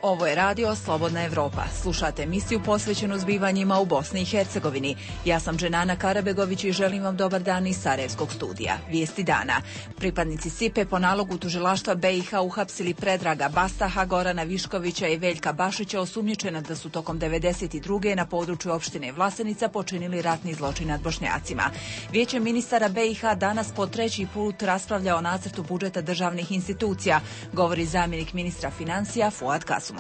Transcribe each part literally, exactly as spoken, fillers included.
Ovo je radio Slobodna Evropa. Slušate emisiju posvećenu zbivanjima u Bosni i Hercegovini. Ja sam Dženana Karabegović i želim vam dobar dan iz Sarajevskog studija. Vijesti dana. Pripadnici S I P E po nalogu tužilaštva B i H uhapsili Predraga Bastaha, Gorana Viškovića i Veljka Bašića, osumnjičena da su tokom devedeset druge na području opštine Vlasenica počinili ratni zločin nad Bošnjacima. Vijeće ministara B i H danas po treći put raspravlja o nacrtu budžeta državnih institucija, govori zamjenik ministra financija Fuad Kasum.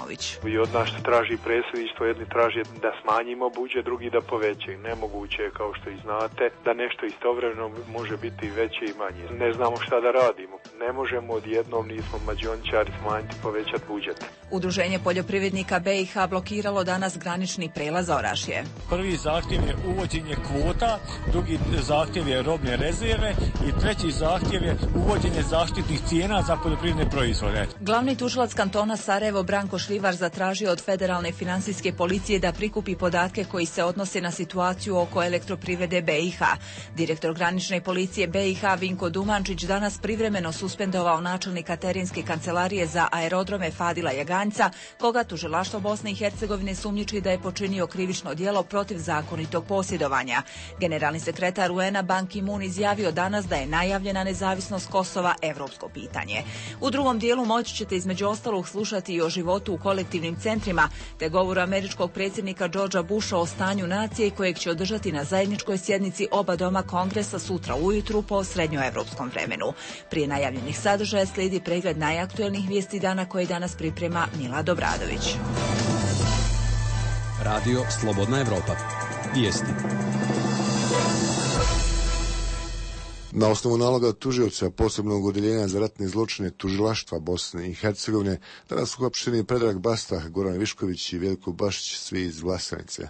I od nas traži predsjedništvo, jedni traži da smanjimo budžet, drugi da povećaju. Nemoguće je, kao što i znate, da nešto istovremeno može biti veće i manje. Ne znamo šta da radimo. Ne možemo odjednom, nismo mađioničari, smanjiti, povećati budžet. Udruženje poljoprivrednika B i H blokiralo danas granični prelaz Orašje. Prvi zahtjev je uvođenje kvota, drugi zahtjev je robne rezerve i treći zahtjev je uvođenje zaštitnih cijena za poljoprivredne proizvode. Glavni tužilac kantona Sarajevo Branko Šljivar zatražio od Federalne financijske policije da prikupi podatke koji se odnose na situaciju oko elektroprivrede B i H. Direktor granične policije B i H Vinko Dumančić danas privremeno suspendovao načelnika Terenske kancelarije za aerodrome Fadila Jaganjca, koga tužilaštvo Bosne i Hercegovine sumnjiči da je počinio krivično djelo protiv zakonitog posjedovanja. Generalni sekretar U N-a Ban Ki-moon izjavio danas da je najavljena nezavisnost Kosova evropsko pitanje. U drugom dijelu moći ćete između ostalog slušati i o životu u kolektivnim centrima, te govoru američkog predsjednika Georgea Busha o stanju nacije kojeg će održati na zajedničkoj sjednici oba doma Kongresa sutra ujutru po srednjoevropskom vremenu. Prije najavljenih sadržaja slijedi pregled najaktuelnijih vijesti dana koje danas priprema Mila Dobradović. Radio Slobodna Evropa. Vijesti. Na osnovu naloga tužioca posebnog odjeljenja za ratne zločine tužilaštva Bosne i Hercegovine danas su uhapšeni Predrag Bastah, Goran Višković i Veljko Bašić, svi iz Vlasenice.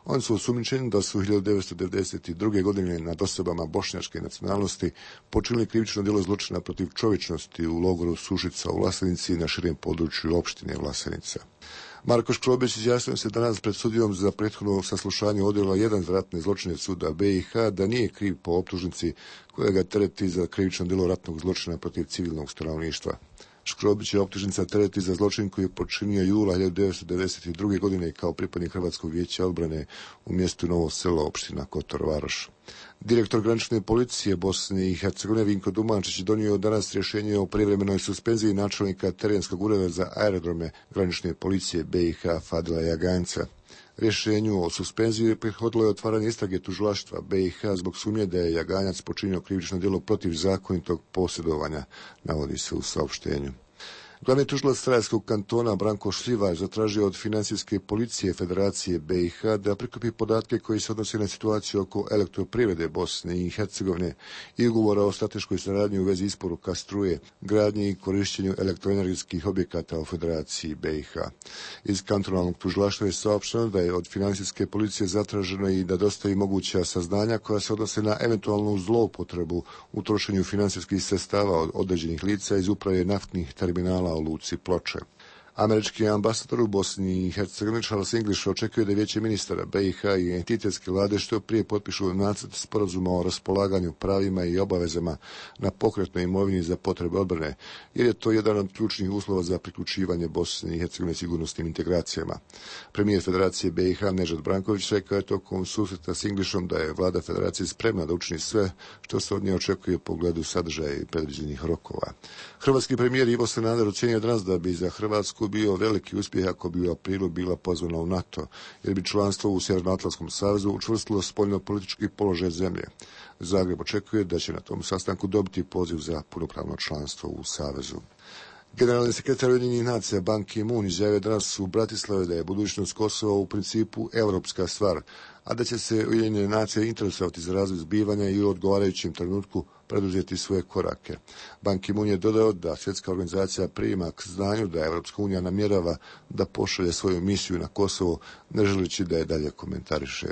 Oni su osumnjičeni da su hiljadu devetsto devedeset druge godine nad osobama bošnjačke nacionalnosti počinili krivično djelo zločina protiv čovječnosti u logoru Sušica u Vlasenici na širem području opštine Vlasenica. Marko Škrobić izjasnio se danas pred sudijom za prethodno saslušanje odjela jedan za ratne zločine suda B i H da nije kriv po optužnici koja ga tereti za krivično djelo ratnog zločina protiv civilnog stanovništva. Škrobić je optužnica tereti za zločin koji je počinio jula hiljadu devetsto devedeset druge godine kao pripadnik Hrvatskog vijeća odbrane u mjestu Novo Selo, opština Kotor Varoš. Direktor granične policije Bosne i Hercegovine Vinko Dumančić donio danas rješenje o privremenoj suspenziji načelnika Terenskog ureda za aerodrome granične policije B i H Fadila Jaganjca. Rješenju o suspenziji prethodilo je otvaranje istrage tužilaštva B i H zbog sumnje da je Jaganjac počinio krivično djelo protiv zakonitog posjedovanja, navodi se u saopštenju. Glavni tužilac Sarajevskog kantona Branko Šljivar zatražio od financijske policije Federacije B i H da prikupi podatke koji se odnose na situaciju oko elektroprivrede Bosne i Hercegovine i ugovora o strateškoj saradnji u vezi isporuka struje, gradnji i korišćenju elektroenergetskih objekata u Federaciji B i H. Iz kantonalnog tužilaštva je saopšteno da je od financijske policije zatraženo i da dostavi moguća saznanja koja se odnose na eventualnu zloupotrebu u trošenju financijskih sredstava od određenih lica iz uprave naftnih terminala u luci Ploče. Američki ambasador u Bosni i Hercegovini Charles English očekuje da vijeće ministara B i H i entitetske vlade što prije potpišu nacrt sporazuma o raspolaganju pravima i obavezama na pokretnoj imovini za potrebe odbrane, jer je to jedan od ključnih uslova za priključivanje Bosne i Hercegovine sigurnosnim integracijama. Premijer Federacije B i H Nežad Branković rekao je tokom susreta s Englishom da je vlada Federacije spremna da učini sve što se od nje očekuje u pogledu sadržaja i predviđenih rokova. Hrvatski premijer Ivo Sanader ocjenio danas da bi za Hrvatsku bio veliki uspjeh ako bi u aprilu bila pozvana u NATO, jer bi članstvo u Sjevernoatlantskom savezu učvrstilo spoljno-politički položaj zemlje. Zagreb očekuje da će na tom sastanku dobiti poziv za punopravno članstvo u savezu. Generalni sekretar Ujedinjenih nacija Ban Ki-moon izjavio danas u Bratislavi da je budućnost Kosova u principu europska stvar, a da će se Ujedinjene nacije interesovati za razvoj zbivanja i u odgovarajućem trenutku preduzeti svoje korake. Ban Ki-moon je dodao da svjetska organizacija prima k znanju da Evropska unija namjerava da pošalje svoju misiju na Kosovo, ne želeći da je dalje komentariše.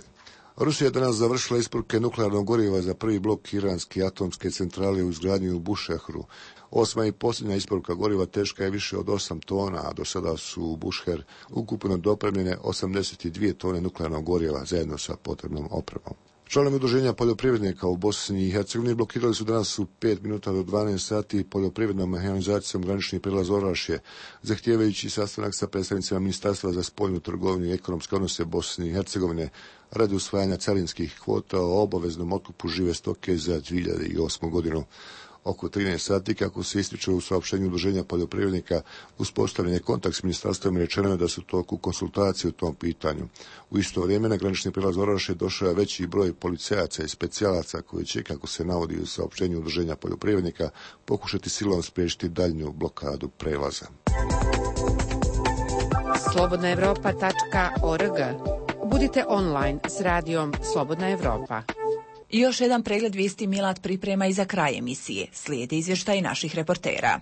Rusija je danas završila isporuke nuklearnog goriva za prvi blok iranske atomske centrale u izgradnji u Bušehru. Osma i posljednja isporuka goriva teška je više od osam tona, a do sada su u Bušher ukupno dopremljene osamdeset dvije tone nuklearnog goriva zajedno sa potrebnom opremom. Članovi udruženja poljoprivrednika u Bosni i Hercegovini blokirali su danas u pet minuta do dvanaest sati poljoprivrednom mehanizacijom granični prijelaz Orašje, zahtijevajući sastanak sa predstavnicima Ministarstva za spoljnu trgovinu i ekonomske odnose Bosne i Hercegovine radi usvajanja carinskih kvota o obaveznom otkupu žive stoke za dvije hiljade osmu godinu. Oko trinaest sati, kako se ističe u saopštenju udruženja poljoprivrednika, uspostavljen je kontakt s ministarstvom i rečeno je da su toku konsultacije u tom pitanju. U isto vrijeme na granični prijelaz Orašje došao je veći broj policajaca i specijalaca koji će, kako se navodi u saopštenju udruženja poljoprivrednika, pokušati silom spriječiti daljnju blokadu prelaza. slobodna evropa tačka org. Budite online s radijom Slobodna Evropa. I još jedan pregled vijesti Milad priprema i za kraj emisije. Slijede izvještaj naših reportera.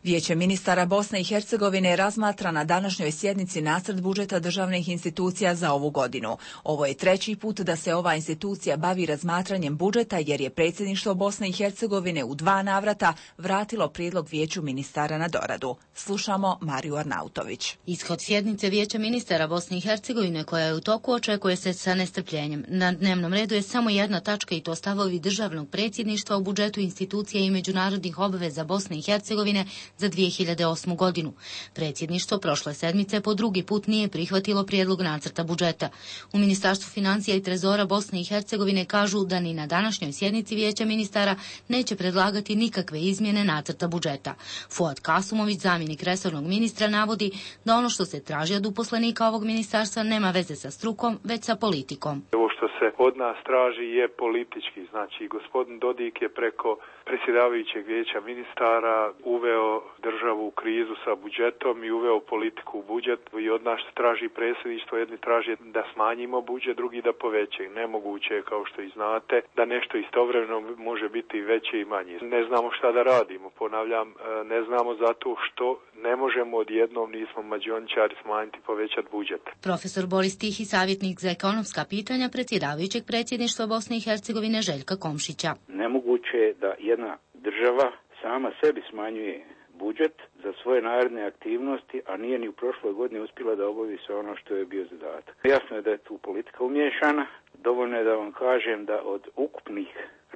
Vijeće ministara Bosne i Hercegovine razmatra na današnjoj sjednici nacrt budžeta državnih institucija za ovu godinu. Ovo je treći put da se ova institucija bavi razmatranjem budžeta jer je predsjedništvo Bosne i Hercegovine u dva navrata vratilo prijedlog Vijeću ministara na doradu. Slušamo Mariju Arnautović. Ishod sjednice Vijeća ministara Bosne i Hercegovine koja je u toku očekuje se sa nestrpljenjem. Na dnevnom redu je samo jedna tačka i to stavovi državnog predsjedništva u budžetu institucija i međunarodnih obaveza Bosne i Hercegovine za dvije hiljade osmu godinu. Predsjedništvo prošle sedmice po drugi put nije prihvatilo prijedlog nacrta budžeta. U Ministarstvu financija i trezora Bosne i Hercegovine kažu da ni na današnjoj sjednici Vijeća ministara neće predlagati nikakve izmjene nacrta budžeta. Fuad Kasumović, zamjenik resornog ministra, navodi da ono što se traži od uposlenika ovog ministarstva nema veze sa strukom, već sa politikom. Ovo što se od nas traži je politički. Znači, gospodin Dodik je preko predsjedavajućeg Vijeća ministara uveo državu u krizu sa budžetom i uveo politiku u budžet i od nas traži predsjedništvo, jedni traži da smanjimo budžet, drugi da povećaju. Nemoguće je, kao što i znate, da nešto istovremeno može biti veće i manje. Ne znamo šta da radimo, ponavljam, ne znamo zato što ne možemo odjednom, nismo mađioničari, smanjiti, povećati budžet. Profesor Boris Tihi, savjetnik za ekonomska pitanja predsjedavajućeg predsjedništva Bosne i Hercegovine Željka Komšića. Nemoguće je da jedna država sama sebi smanjuje budžet za svoje naredne aktivnosti, a nije ni u prošloj godini uspjela da obavi sve ono što je bio zadatak. Jasno je da je tu politika umiješana. Dovoljno je da vam kažem da od ukupnih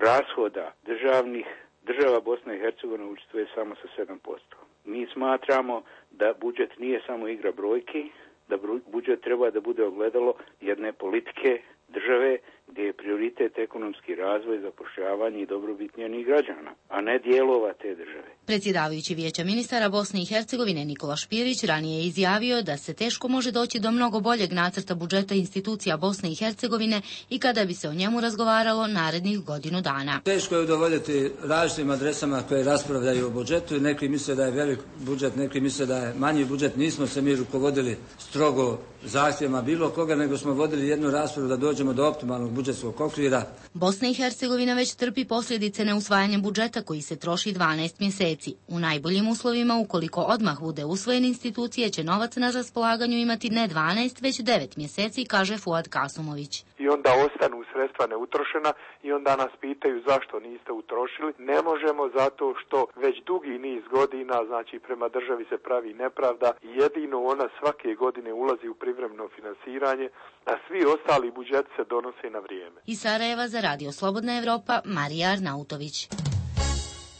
rashoda državnih država Bosna i Hercegovina učestvuje samo sa sedam posto. Mi smatramo da budžet nije samo igra brojki, da budžet treba da bude ogledalo jedne politike države gdje je prioritet ekonomski razvoj, zapošljavanje i dobrobit njenih građana, a ne dijelova te države. Predsjedavajući Vijeća ministara Bosne i Hercegovine Nikola Špirić ranije je izjavio da se teško može doći do mnogo boljeg nacrta budžeta institucija Bosne i Hercegovine i kada bi se o njemu razgovaralo narednih godinu dana. Teško je udovoljiti različitim adresama koje raspravljaju o budžetu. Neki misle da je velik budžet, neki misle da je manji budžet. Nismo se mi rukovodili strogo zahtjevima bilo koga, nego smo vodili jednu raspravu da dođemo do optimalnog budžetskog okvira. Bosna i Hercegovina već trpi posljedice neusvajanja budžeta koji se troši dvanaest mjeseci. U najboljim uslovima, ukoliko odmah bude usvojen, institucije će novac na raspolaganju imati ne dvanaest, već devet mjeseci, kaže Fuad Kasumović. I onda ostanu sredstva neutrošena i onda nas pitaju zašto niste utrošili. Ne možemo zato što već dugi niz godina, znači prema državi se pravi nepravda. Jedino ona svake godine ulazi u privremeno finansiranje, a svi ostali budžeti se donose na vrijeme. Iz Sarajeva za Radio Slobodna Evropa, Marija Arnautović.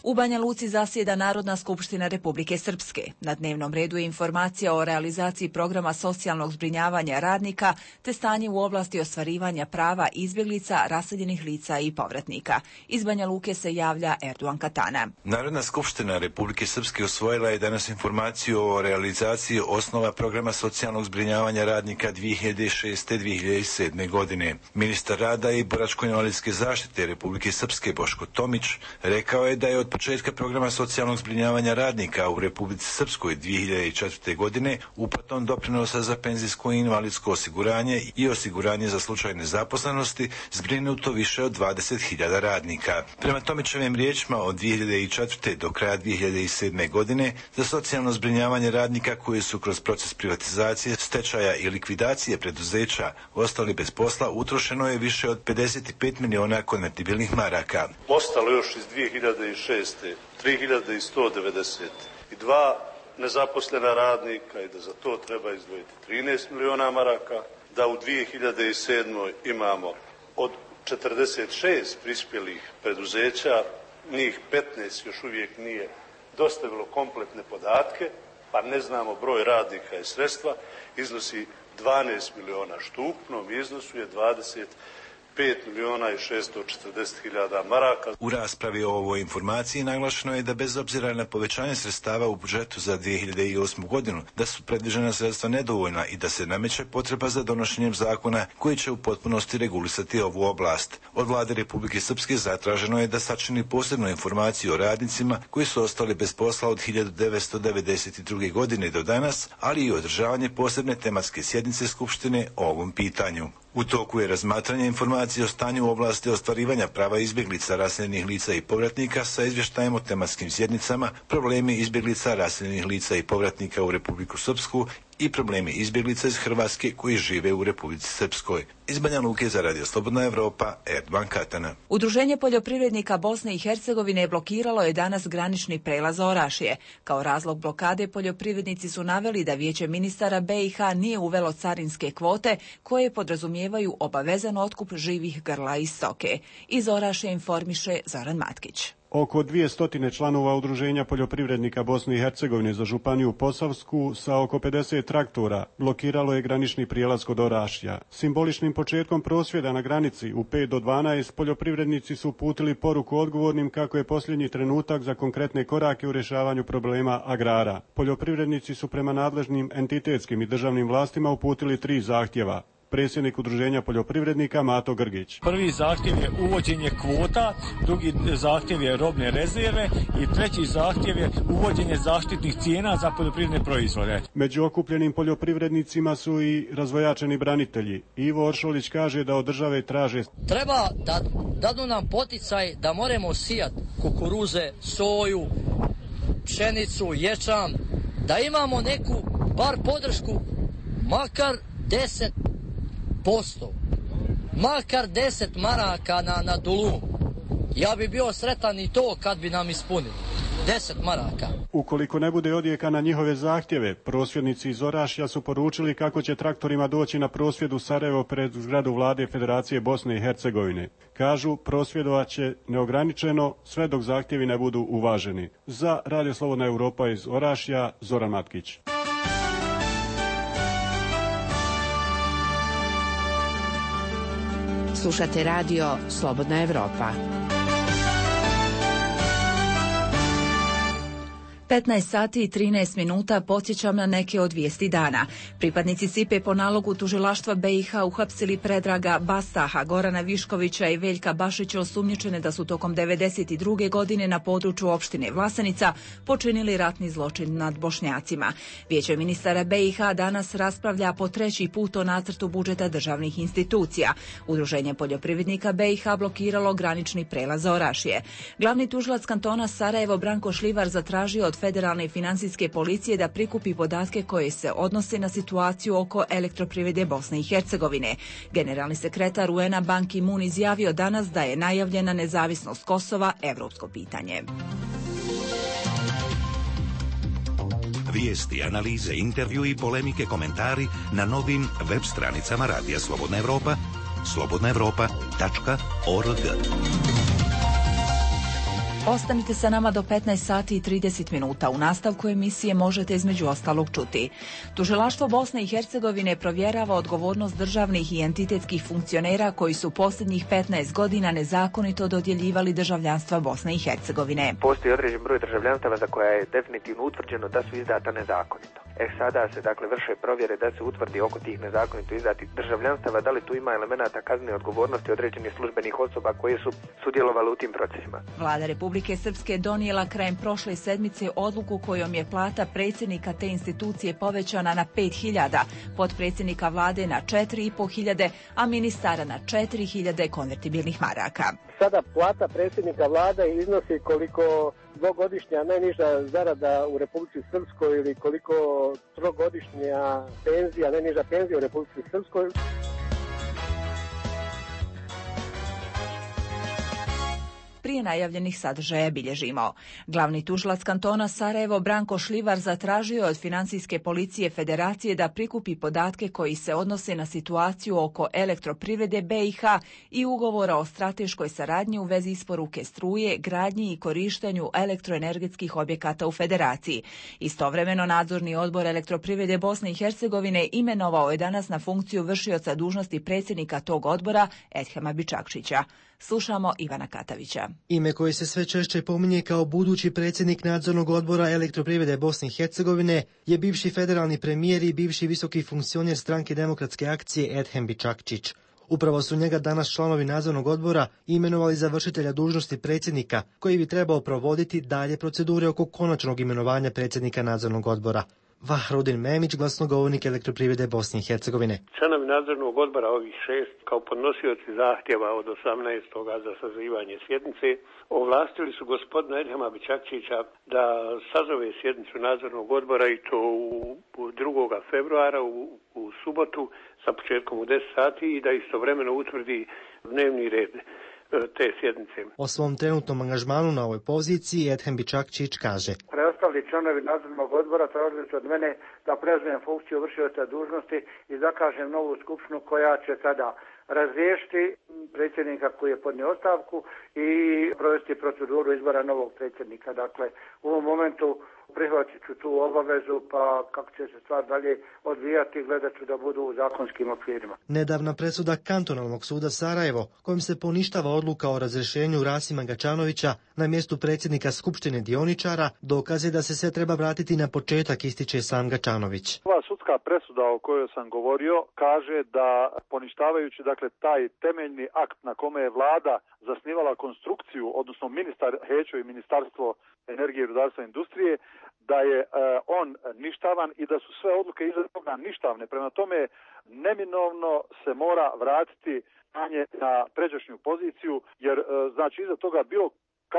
U Banja Luci zasjeda Narodna skupština Republike Srpske. Na dnevnom redu je informacija o realizaciji programa socijalnog zbrinjavanja radnika te stanje u oblasti ostvarivanja prava izbjeglica, raseljenih lica i povratnika. Iz Banja Luke se javlja Erduan Katana. Narodna skupština Republike Srpske usvojila je danas informaciju o realizaciji osnova programa socijalnog zbrinjavanja radnika dvije hiljade šeste do dvije hiljade sedme. godine. Ministar rada i boračko-invalidske zaštite Republike Srpske Boško Tomić rekao je da je od početka programa socijalnog zbrinjavanja radnika u Republici Srpskoj dvije hiljade četvrte. godine uplatom doprinosa za penzijsko i invalidsko osiguranje i osiguranje za slučaj nezaposlenosti zbrinuto više od dvadeset hiljada radnika. Prema Tomićevim riječima, od dvije hiljade četvrte. do kraja dvije hiljade sedme. godine za socijalno zbrinjavanje radnika koji su kroz proces privatizacije, stečaja i likvidacije preduzeća ostali bez posla utrošeno je više od pedeset pet miliona konvertibilnih maraka. Ostalo još iz dvije hiljade šeste. tri hiljade sto devedeset dva nezaposlena radnika i da za to treba izdvojiti trinaest miliona maraka da u dvije hiljade sedmoj. imamo od četrdeset šest prispjelih preduzeća, njih petnaest još uvijek nije dostavilo kompletne podatke, pa ne znamo broj radnika i sredstva, iznosi dvanaest miliona, što u ukupnom iznosu je dvadeset pet milijuna i šesto četrdeset hiljada maraka. U raspravi o ovoj informaciji naglašeno je da bez obzira na povećanje sredstava u budžetu za dvije hiljade osmu. godinu, da su predviđena sredstva nedovoljna i da se nameće potreba za donošenjem zakona koji će u potpunosti regulisati ovu oblast. Od vlade Republike Srpske zatraženo je da sačini posebnu informaciju o radnicima koji su ostali bez posla od hiljadu devetsto devedeset druge. godine do danas, ali i održavanje posebne tematske sjednice Skupštine o ovom pitanju. U toku je razmatranje informacije o stanju u oblasti ostvarivanja prava izbjeglica, raseljenih lica i povratnika sa izvještajem o tematskim sjednicama, problemi izbjeglica, raseljenih lica i povratnika u Republiku Srpsku i problemi izbjeglica iz Hrvatske koji žive u Republici Srpskoj. Iz Banja Luke za Radio Slobodna Evropa, Erdovan Katana. Udruženje poljoprivrednika Bosne i Hercegovine blokiralo je danas granični prelaz Orašje. Kao razlog blokade poljoprivrednici su naveli da Vijeće ministara B i H nije uvelo carinske kvote koje podrazumijevaju obavezan otkup živih grla i stoke. Iz Orašje informiše Zoran Matkić. Oko dvjesto članova Udruženja poljoprivrednika Bosne i Hercegovine za županiju Posavsku sa oko pedeset traktora blokiralo je granični prijelaz kod Orašja. Simboličnim početkom prosvjeda na granici u pet do dvanaest poljoprivrednici su uputili poruku odgovornim kako je posljednji trenutak za konkretne korake u rješavanju problema agrara. Poljoprivrednici su prema nadležnim entitetskim i državnim vlastima uputili tri zahtjeva. Predsjednik Udruženja poljoprivrednika Mato Grgić. Prvi zahtjev je uvođenje kvota, drugi zahtjev je robne rezerve i treći zahtjev je uvođenje zaštitnih cijena za poljoprivredne proizvode. Među okupljenim poljoprivrednicima su i razvojačeni branitelji. Ivo Oršolić kaže da od države traže treba da dadu nam poticaj da moramo sijati kukuruze, soju, pšenicu, ječam, da imamo neku bar podršku, makar deset posto, makar deset maraka na, na dulu. Ja bi bio sretan i to kad bi nam ispunili. deset maraka. Ukoliko ne bude odjeka na njihove zahtjeve, prosvjednici iz Orašja su poručili kako će traktorima doći na prosvjed u Sarajevo pred zgradu vlade Federacije Bosne i Hercegovine. Kažu, prosvjedovat će neograničeno sve dok zahtjevi ne budu uvaženi. Za Radio Slobodna Evropa iz Orašja, Zoran Matkić. Slušate radio Slobodna Evropa. petnaest sati i trinaest minuta podsjećam na neke od vijesti dana. Pripadnici S I P E po nalogu tužilaštva B i H uhapsili Predraga Bastaha, Gorana Viškovića i Veljka Bašića osumnjičene da su tokom devedeset druge. godine na području opštine Vlasenica počinili ratni zločin nad Bošnjacima. Vijeće ministara B i H danas raspravlja po treći put o nacrtu budžeta državnih institucija. Udruženje poljoprivrednika B i H blokiralo granični prelaz Orašje. Glavni tužilac kantona Sarajevo Branko Šljivar zatražio od Federalne financijske policije da prikupi podatke koje se odnose na situaciju oko elektroprivrede Bosne i Hercegovine. Generalni sekretar U N-a Ban Ki-moon izjavio danas da je najavljena nezavisnost Kosova evropsko pitanje. Vijesti, analize, intervju i polemike, komentari na novim web stranicama Radija Slobodna Evropa, slobodna evropa tačka org. Ostanite sa nama do petnaest sati i trideset minuta. U nastavku emisije možete između ostalog čuti. Tužilaštvo Bosne i Hercegovine provjerava odgovornost državnih i entitetskih funkcionera koji su posljednjih petnaest godina nezakonito dodjeljivali državljanstva Bosne i Hercegovine. Postoji određen broj državljanstava za koja je definitivno utvrđeno da su izdata nezakonito. E sada se dakle vrše provjere da se utvrdi oko tih nezakonito izdatih državljanstava da li tu ima elemenata kaznene odgovornosti određenih službenih osoba koje su sudjelovale u tim procesima. Vlada Republike Srpske donijela krajem prošle sedmice odluku kojom je plata predsjednika te institucije povećana na pet hiljada, potpredsjednika vlade na četiri i po hiljade, a ministara na četiri hiljade konvertibilnih maraka. Sada plata predsjednika vlade iznosi koliko dvogodišnja najniža zarada u Republici Srpskoj ili koliko trogodišnja penzija, najniža penzija u Republici Srpskoj. prije najavljenih sadržaja bilježimo. Glavni tužilac kantona Sarajevo Branko Šljivar zatražio je od Financijske policije Federacije da prikupi podatke koji se odnose na situaciju oko elektroprivrede B i H i ugovora o strateškoj saradnji u vezi isporuke struje, gradnji i korištenju elektroenergetskih objekata u Federaciji. Istovremeno nadzorni odbor elektroprivrede Bosne i Hercegovine imenovao je danas na funkciju vršioca dužnosti predsjednika tog odbora Edhema Bičakčića. Slušamo Ivana Katavića. Ime koje se sve češće pominje kao budući predsjednik nadzornog odbora elektroprivrede Bosne i Hercegovine je bivši federalni premijer i bivši visoki funkcioner stranke Demokratske akcije Edhem Bičakčić. Upravo su njega danas članovi nadzornog odbora imenovali za vršitelja dužnosti predsjednika, koji bi trebao provoditi dalje procedure oko konačnog imenovanja predsjednika nadzornog odbora. Vahrudin Memić, glasnogovornik elektroprivrede Bosne i Hercegovine. Članovi nadzornog odbora ovih šest, kao podnosioci zahtjeva od osamnaestog za sazivanje sjednice, ovlastili su gospodina Edhema Bičakčića da sazove sjednicu nadzornog odbora i to u drugog februara u, u subotu sa početkom u deset sati i da istovremeno utvrdi dnevni red te sjednice. O svom trenutnom angažmanu na ovoj poziciji Edhem Bičakčić kaže: Preostali članovi nadzornog odbora tražili su od mene da preuzmem funkciju vršioca dužnosti i zakažem novu skupštinu koja će sada razriješiti predsjednika koji je podnio ostavku i provesti proceduru izbora novog predsjednika. Dakle, u ovom momentu prihvatit ću tu obavezu, pa kako će se stvar dalje odvijati, gledat ću da budu u zakonskim okvirima. Nedavna presuda Kantonalnog suda Sarajevo, kojim se poništava odluka o razrješenju Rasima Gačanovića na mjestu predsjednika Skupštine dioničara, dokaze da se sve treba vratiti na početak, ističe sam Gačanović. Ova sudska presuda o kojoj sam govorio kaže da poništavajući dakle taj temeljni akt na kome je vlada zasnivala konstrukciju, odnosno ministar Hećo i Ministarstvo energije, rudarstva i industrije, da je e, on ništavan i da su sve odluke iza toga ništavne. Prema tome, neminovno se mora vratiti na pređašnju poziciju, jer e, znači iza toga bilo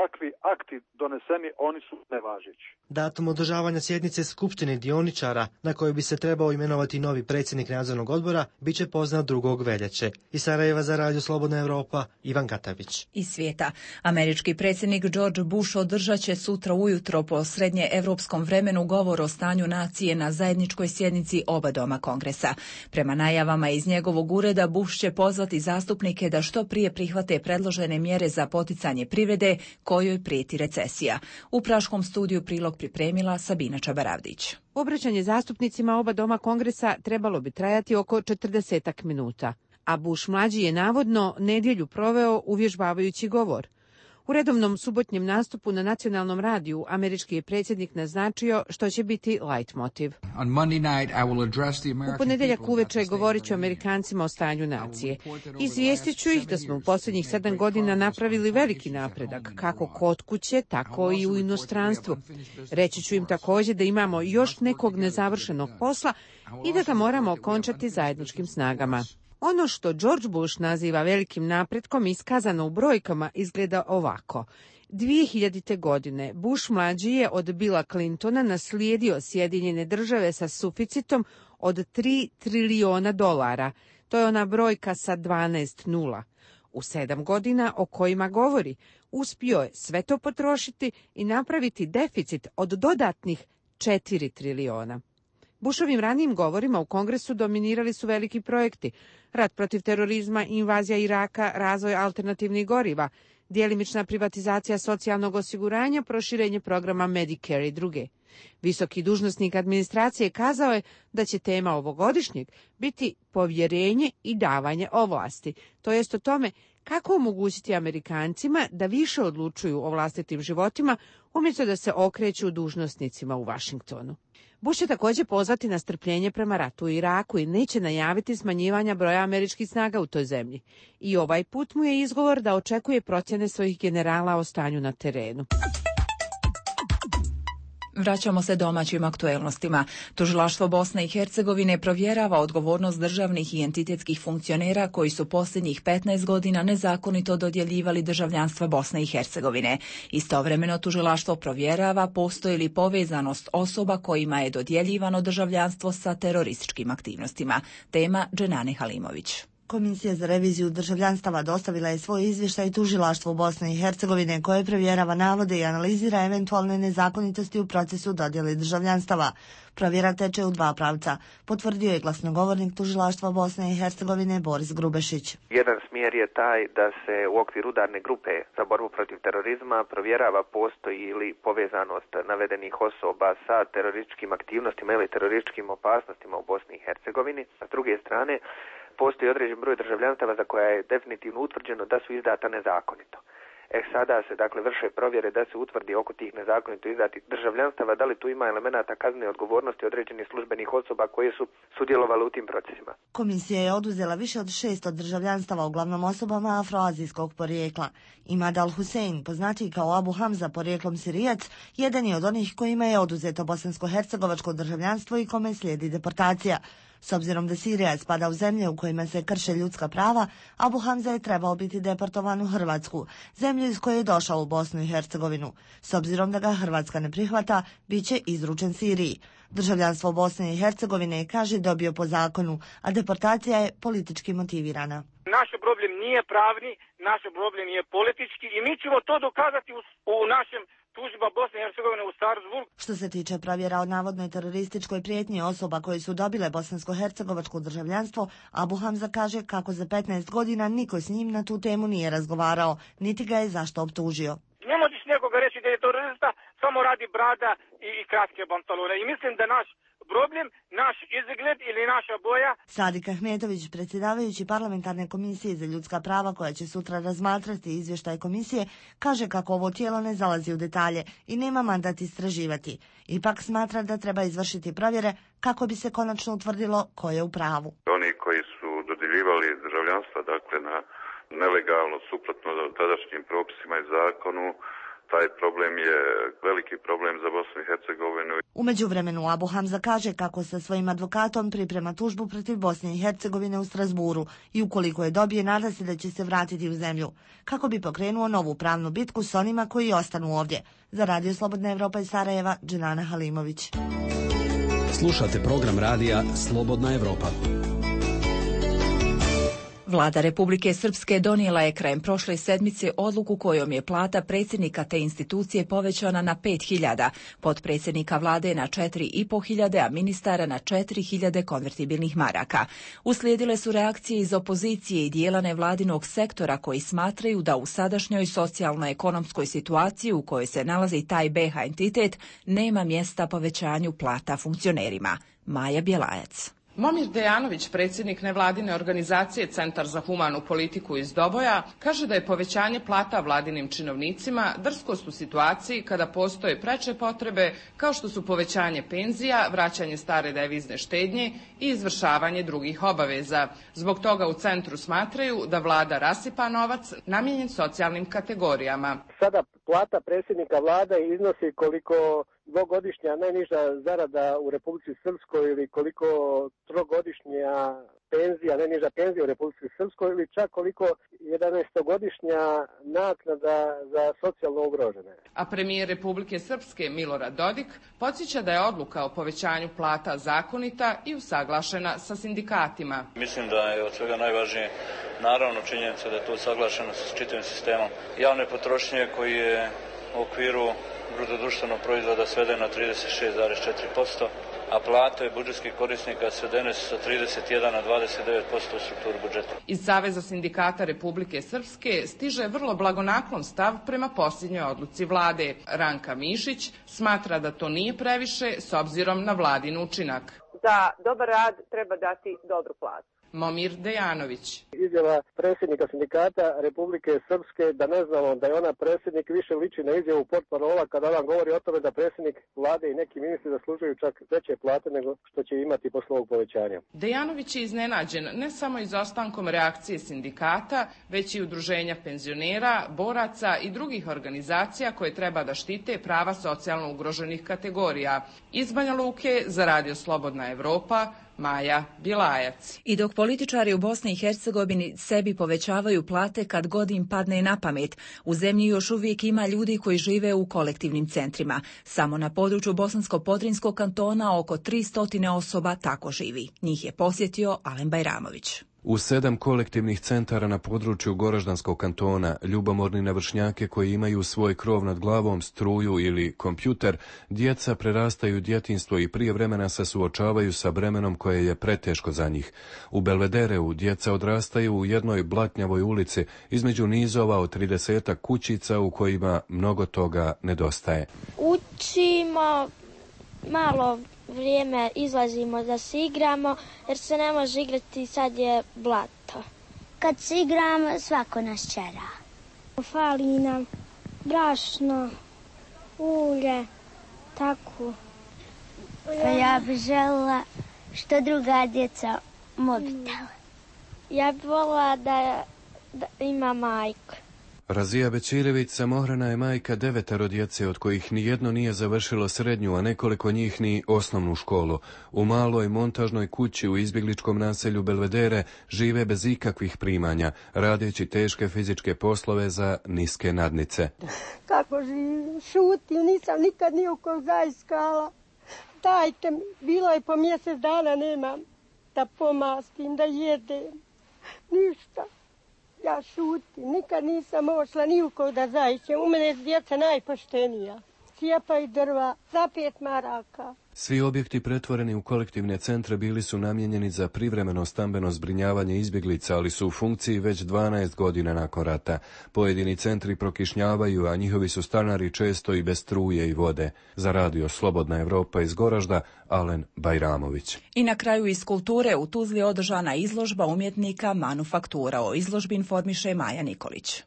kakvi akti doneseni, oni su nevažeći. Datum održavanja sjednice Skupštine dioničara, na kojoj bi se trebao imenovati novi predsjednik nadzornog odbora, bit će poznat drugog veljače. Iz Sarajeva za Radio Slobodna Evropa, Ivan Katavić. Iz svijeta. Američki predsjednik George Bush održat će sutra ujutro po srednje evropskom vremenu govor o stanju nacije na zajedničkoj sjednici oba doma Kongresa. Prema najavama iz njegovog ureda, Bush će pozvati zastupnike da što prije prihvate predložene mjere za poticanje privrede kojoj prijeti recesija. U Praškom studiju prilog pripremila Sabina Čabaravdić. Obraćanje zastupnicima oba doma Kongresa trebalo bi trajati oko četrdesetak minuta, a Bush mlađi je navodno nedjelju proveo uvježbavajući govor. U redovnom subotnjem nastupu na nacionalnom radiju američki je predsjednik naznačio što će biti leitmotiv. U ponedjeljak uveče govorit ću Amerikancima o stanju nacije. Izvijestit ću ih da smo u posljednjih sedam godina napravili veliki napredak, kako kod kuće, tako i u inostranstvu. Reći ću im također da imamo još nekog nezavršenog posla i da ga moramo okončati zajedničkim snagama. Ono što George Bush naziva velikim napretkom iskazano u brojkama izgleda ovako. dvije hiljadite. godine Bush mlađi je od Billa Clintona naslijedio Sjedinjene države sa suficitom od tri trilijona dolara. To je ona brojka sa dvanaest nula. U sedam godina o kojima govori, uspio je sve to potrošiti i napraviti deficit od dodatnih četiri trilijona. Bushovim ranijim govorima u Kongresu dominirali su veliki projekti: rat protiv terorizma, invazija Iraka, razvoj alternativnih goriva, djelimična privatizacija socijalnog osiguranja, proširenje programa Medicare i druge. Visoki dužnosnik administracije kazao je da će tema ovogodišnjeg biti povjerenje i davanje ovlasti, to jest o tome kako omogućiti Amerikancima da više odlučuju o vlastitim životima umjesto da se okreću dužnosnicima u Washingtonu. Bush će također pozvati na strpljenje prema ratu u Iraku i neće najaviti smanjivanja broja američkih snaga u toj zemlji. I ovaj put mu je izgovor da očekuje procjene svojih generala o stanju na terenu. Vraćamo se domaćim aktuelnostima. Tužilaštvo Bosne i Hercegovine provjerava odgovornost državnih i entitetskih funkcionera koji su posljednjih petnaest godina nezakonito dodjeljivali državljanstva Bosne i Hercegovine. Istovremeno tužilaštvo provjerava postoji li povezanost osoba kojima je dodjeljivano državljanstvo sa terorističkim aktivnostima. Tema Dženane Halimović. Komisija za reviziju državljanstava dostavila je svoj izvještaj tužilaštvu Bosne i Hercegovine koje provjerava navode i analizira eventualne nezakonitosti u procesu dodjele državljanstava. Provjera teče u dva pravca, potvrdio je glasnogovornik tužilaštva Bosne i Hercegovine Boris Grubešić. Jedan smjer je taj da se u okviru udarne grupe za borbu protiv terorizma provjerava postoji ili povezanost navedenih osoba sa terorističkim aktivnostima ili terorističkim opasnostima u Bosni i Hercegovini. S druge strane, postoji određen broj državljanstava za koja je definitivno utvrđeno da su izdata nezakonito. E sada se dakle vrše provjere da se utvrdi oko tih nezakonito izdatih državljanstava da li tu ima elemenata kaznene odgovornosti određenih službenih osoba koje su sudjelovale u tim procesima. Komisija je oduzela više od šesto državljanstava uglavnom osobama afroazijskog porijekla. Imad al-Husein, poznatiji kao Abu Hamza porijeklom Sirijac, jedan je od onih kojima je oduzeto bosansko-hercegovačko državljanstvo i kome slijedi deportacija. S obzirom da Sirija spada u zemlje u kojima se krše ljudska prava, Abu Hamza je trebao biti deportovan u Hrvatsku, zemlju iz koje je došao u Bosnu i Hercegovinu. S obzirom da ga Hrvatska ne prihvata, bit će izručen Siriji. Državljanstvo Bosne i Hercegovine, kaže, dobio po zakonu, a deportacija je politički motivirana. Naš problem nije pravni, naš problem je politički i mi ćemo to dokazati u, u našem tužba Bosne i Hercegovine u Strasbourgu. Što se tiče provjera o navodnoj terorističkoj prijetnji osoba koji su dobile bosansko-hercegovačko državljanstvo, Abu Hamza kaže kako za petnaest godina niko s njim na tu temu nije razgovarao, niti ga je zašto optužio. Ne možeš nekoga reći da je terorista, samo radi brada i, i kratke pantalone. I mislim da naš problem, naš izgled ili naša boja. Sadik Ahmetović, predsjedavajući parlamentarne komisije za ljudska prava koja će sutra razmatrati izvještaj komisije, kaže kako ovo tijelo ne zalazi u detalje i nema mandat istraživati. Ipak smatra da treba izvršiti provjere kako bi se konačno utvrdilo ko je u pravu. Oni koji su dodjeljivali državljanstva, dakle na nelegalno, suprotno tadašnjim propisima i zakonu, taj problem je veliki problem za Bosnu i Hercegovinu. U međuvremenu Abu Hamza kaže kako sa svojim advokatom priprema tužbu protiv Bosne i Hercegovine u Strasburu i ukoliko je dobije, nada se da će se vratiti u zemlju, kako bi pokrenuo novu pravnu bitku s onima koji ostanu ovdje. Za Radio Slobodna Evropa iz Sarajeva, Dženana Halimović. Slušate program radija Slobodna Evropa. Vlada Republike Srpske donijela je krajem prošle sedmice odluku kojom je plata predsjednika te institucije povećana na pet hiljada, potpredsjednika vlade na četiri i po hiljade, a ministara na četiri hiljade konvertibilnih maraka. Uslijedile su reakcije iz opozicije i dijela nevladinog sektora koji smatraju da u sadašnjoj socijalno-ekonomskoj situaciji u kojoj se nalazi taj be ha entitet nema mjesta povećanju plata funkcionerima. Maja Bjelajac. Momir Dejanović, predsjednik nevladine organizacije Centar za humanu politiku iz Doboja, kaže da je povećanje plata vladinim činovnicima drskost u situaciji kada postoje preče potrebe kao što su povećanje penzija, vraćanje stare devizne štednje i izvršavanje drugih obaveza. Zbog toga u centru smatraju da vlada rasipa novac namijenjen socijalnim kategorijama. Sada plata predsjednika vlade iznosi koliko dvogodišnja najniža zarada u Republici Srpskoj ili koliko trogodišnja penzija, najniža penzija u Republici Srpskoj ili čak koliko jedanaestogodišnja naknada za socijalno ugrožene. A premijer Republike Srpske Milorad Dodik podsjeća da je odluka o povećanju plata zakonita i usaglašena sa sindikatima. Mislim da je od svega najvažnije naravno činjenica da je to usaglašeno sa čitavim sistemom javne potrošnje koji je u okviru bruto društvenog proizvoda sveden na trideset šest zarez četiri posto, a plate budžetskih korisnika svedene su sa trideset jedan na dvadeset devet posto u strukturu budžeta. Iz Saveza sindikata Republike Srpske stiže vrlo blagonaklon stav prema posljednjoj odluci vlade. Ranka Mišić smatra da to nije previše s obzirom na vladin učinak. Za dobar rad treba dati dobru platu. Momir Dejanović. Izjava predsjednika sindikata Republike Srpske da ne znamo da je ona predsjednik više liči na izjavu portparola kada vam govori o tome da predsjednik vlade i neki ministri zaslužuju čak veće plate nego što će imati posle ovog povećanja. Dejanović je iznenađen ne samo izostankom reakcije sindikata, već i udruženja penzionera, boraca i drugih organizacija koje treba da štite prava socijalno ugroženih kategorija. Iz Banja Luke za Radio Slobodna Evropa, Maja Bjelajac. I dok političari u Bosni i Hercegovini sebi povećavaju plate kad god im padne na pamet, u zemlji još uvijek ima ljudi koji žive u kolektivnim centrima. Samo na području Bosansko-Podrinskog kantona oko tristo osoba tako živi. Njih je posjetio Alen Bajramović. U sedam kolektivnih centara na području Goraždanskog kantona, ljubomorni na vršnjake koji imaju svoj krov nad glavom, struju ili kompjuter, djeca prerastaju djetinjstvo i prije vremena se suočavaju sa bremenom koje je preteško za njih. U Belvedereu djeca odrastaju u jednoj blatnjavoj ulici između nizova od tridesetak kućica u kojima mnogo toga nedostaje. Učimo malo vrijeme, izlazimo da se igramo, jer se ne može igrati, sad je blato. Kad se igram, svako nas čera. Fali nam brašno, ulje, tako. Pa ja bih željela što druga djeca mobitel. Ja bih voljela da, da ima majku. Razija Bećirević samohrana je majka devetero djece, od kojih nijedno nije završilo srednju, a nekoliko njih ni osnovnu školu. U maloj montažnoj kući u izbjegličkom naselju Belvedere žive bez ikakvih primanja, radeći teške fizičke poslove za niske nadnice. Kako živim, šutim, nisam nikad nijukog zaiskala. Dajte, bilo je po mjesec dana, nemam da pomastim, da jedem, ništa. Ja šutim, nikad nisam ošla ni u kog da zaićem. U mene je djeca najpoštenija. Cijepaju drva za pet maraka. Svi objekti pretvoreni u kolektivne centre bili su namijenjeni za privremeno stambeno zbrinjavanje izbjeglica, ali su u funkciji već dvanaest godina nakon rata. Pojedini centri prokišnjavaju, a njihovi su stanari često i bez struje i vode. Za radio Slobodna Evropa iz Goražda, Alen Bajramović. I na kraju iz kulture u Tuzli održana izložba umjetnika Manufaktura. O izložbi informiše Maja Nikolić.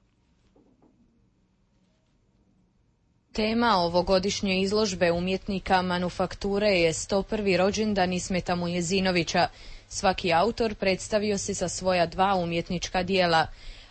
Tema ovogodišnje izložbe umjetnika Manufakture je sto prvi rođendan Ismeta Mujezinovića. Svaki autor predstavio se sa svoja dva umjetnička dijela.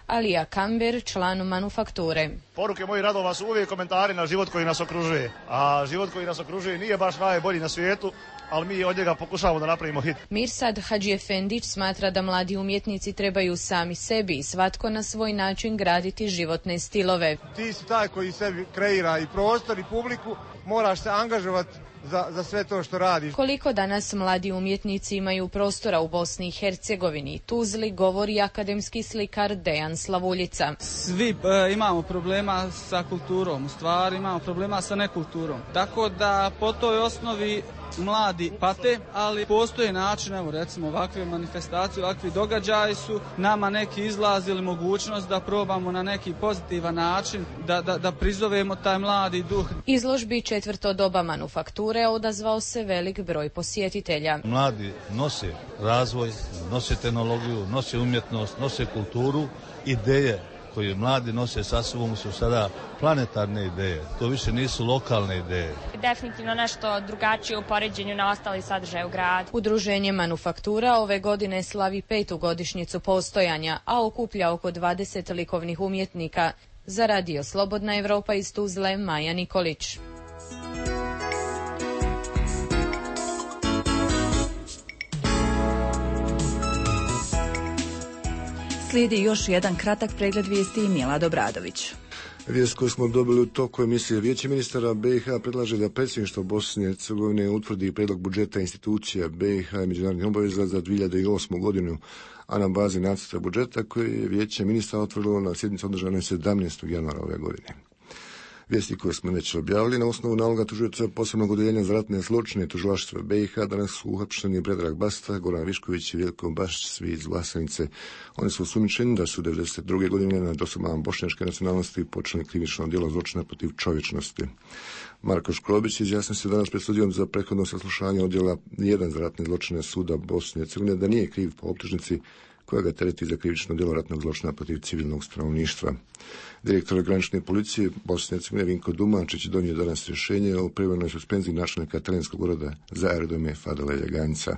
Alija Kamber, član Manufakture. Poruke mojih radova su uvijek komentari na život koji nas okružuje. A život koji nas okružuje nije baš najbolji na svijetu, ali mi od njega pokušavamo da napravimo hit. Mirsad Hadžiefendić smatra da mladi umjetnici trebaju sami sebi i svatko na svoj način graditi životne stilove. Ti si taj koji sebi kreira i prostor i publiku, moraš se angažovati Za, za sve to što radiš. Koliko danas mladi umjetnici imaju prostora u Bosni i Hercegovini, Tuzli, govori akademski slikar Dejan Slavuljica. Svi e, imamo problema sa kulturom, u stvari imamo problema sa nekulturom. Tako da po toj osnovi mladi pate, ali postoji način, evo recimo ovakve manifestacije, ovakvi događaji su nama neki izlaz ili mogućnost da probamo na neki pozitivan način da, da, da prizovemo taj mladi duh. Izložbi Četvrto doba Manufakture odazvao se velik broj posjetitelja. Mladi nose razvoj, nose tehnologiju, nose umjetnost, nose kulturu, ideje koje mladi nose sa sobom su sada planetarne ideje. To više nisu lokalne ideje. Definitivno nešto drugačije u poređenju na ostali sadržaje u gradu. Udruženje Manufaktura ove godine slavi petu godišnjicu postojanja, a okuplja oko dvadeset likovnih umjetnika. Za radio Slobodna Evropa iz Tuzle, Maja Nikolić. Slijedi još jedan kratak pregled vijesti i Milad Obradović. Vijest koju smo dobili u toku emisije Vijeće ministara B i H predlaže da predsjedništvo Bosne i Hercegovine utvrdi prijedlog budžeta institucija B i H i međunarodnih obaveza za dvije hiljade osmu godinu, a na bazi nacrta budžeta koji je Vijeće ministara otvorilo na sjednici održanoj sedamnaestog januara ove godine. Vijesti koje smo već objavili na osnovu naloga tužioca posebnog odeljenja za ratne zločine tužilaštva B i H danas su uhapšeni Predrag Basta, Goran Višković i Vjeljko Bašić, svi iz Vlasenice. Oni su osumnjičeni da su devedeset druge godine nad osobama bošnjačke nacionalnosti počinili krivično djelo zločina protiv čovječnosti. Marko Škrobić izjasnio se danas pred sudijom za prethodno saslušanje odjela jedan za ratne zločine suda Bosne i Hercegovine da nije kriv po optužnici koja ga tereti za krivično djelo ratnog zločina protiv civilnog stanovništva. Direktor granične policije Bosne i Hercegovine Vinko Dumančić donio danas rješenje o privremenoj suspenziji načelnika Terenskog ureda za aerodrome Fadila Ljaganca.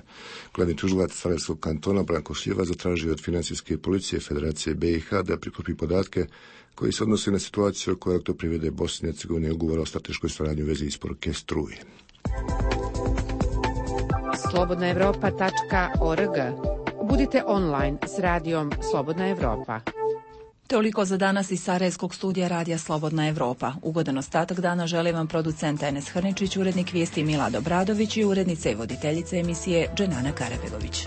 Glavni tužilac Sarajevskog kantona Branko Šljeva zatražio od financijske policije Federacije B i H da prikupi podatke koji se odnose na situaciju oko Elektroprivrede Bosne i Hercegovine i ugovora o strateškoj suradnji u vezi isporuke struje. slobodna evropa tačka org. Budite online s radijom Slobodna Evropa. Toliko za danas iz Sarajevskog studija radija Slobodna Evropa. Ugodan ostatak dana želim vam producent Enes Hrničić, urednik vijesti Milad Obradović i urednica i voditeljica emisije Dženana Karabegović.